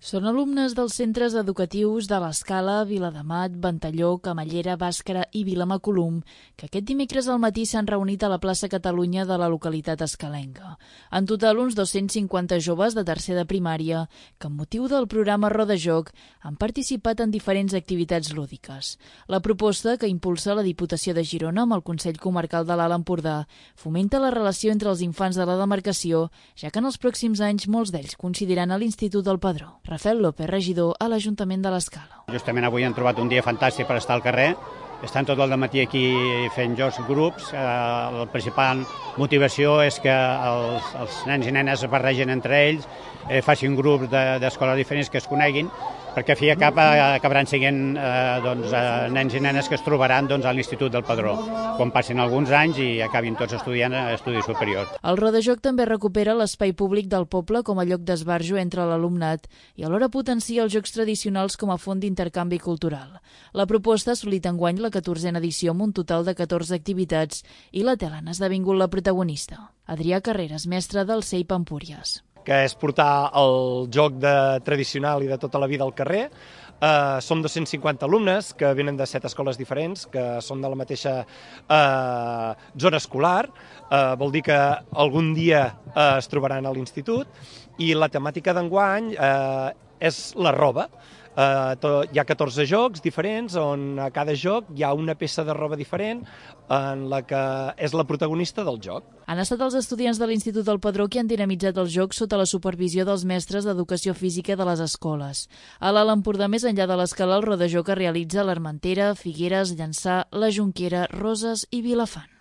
Són alumnes dels centres educatius de l'Escala, Viladamat, Ventalló, Camallera, Bàscara i Vilamacolum, que aquest dimecres al matí s'han reunit a la plaça Catalunya de la localitat escalenca. En total, uns 250 joves de tercer de primària, que amb motiu del programa Rodajoc han participat en diferents activitats lúdiques. La proposta, que impulsa la Diputació de Girona amb el Consell Comarcal de l'Alt Empordà, fomenta la relació entre els infants de la demarcació, ja que en els pròxims anys molts d'ells coincidiran a l'Institut del Padró. Rafael López, regidor a l'Ajuntament de l'Escala. Justament avui hem trobat un dia fantàstic per estar al carrer. Estan tot el dematí aquí fent jocs grups. La principal motivació és que els nens i nenes es barregen entre ells, facin grups d'escoles diferents que es coneguin, perquè a fi i a cap acabaran sent nens i nenes que es trobaran a l'Institut del Padró, quan passin alguns anys i acabin tots estudiant estudis superiors. El Rodajoc també recupera l'espai públic del poble com a lloc d'esbarjo entre l'alumnat i alhora potencia els jocs tradicionals com a font d'intercanvi cultural. La proposta ha assolit enguany la 14a edició amb un total de 14 activitats i la tela n'ha esdevingut la protagonista. Adrià Carreras, mestre del CEIP Empúries. Que és portar el joc tradicional i de tota la vida al carrer. Som 250 alumnes que venen de 7 escoles diferents, que són de la mateixa zona escolar. Vol dir que algun dia es trobaran a l'institut, i la temàtica d'enguany és la roba. Hi ha 14 jocs diferents on a cada joc hi ha una peça de roba diferent en la que és la protagonista del joc. Han estat els estudiants de l'Institut del Padró qui han dinamitzat els jocs sota la supervisió dels mestres d'educació física de les escoles. A l'Alt Empordà, més enllà de l'Escala, el Rodajoc es realitza a l'Armentera, Figueres, Llançà, la Jonquera, Roses i Vilafant.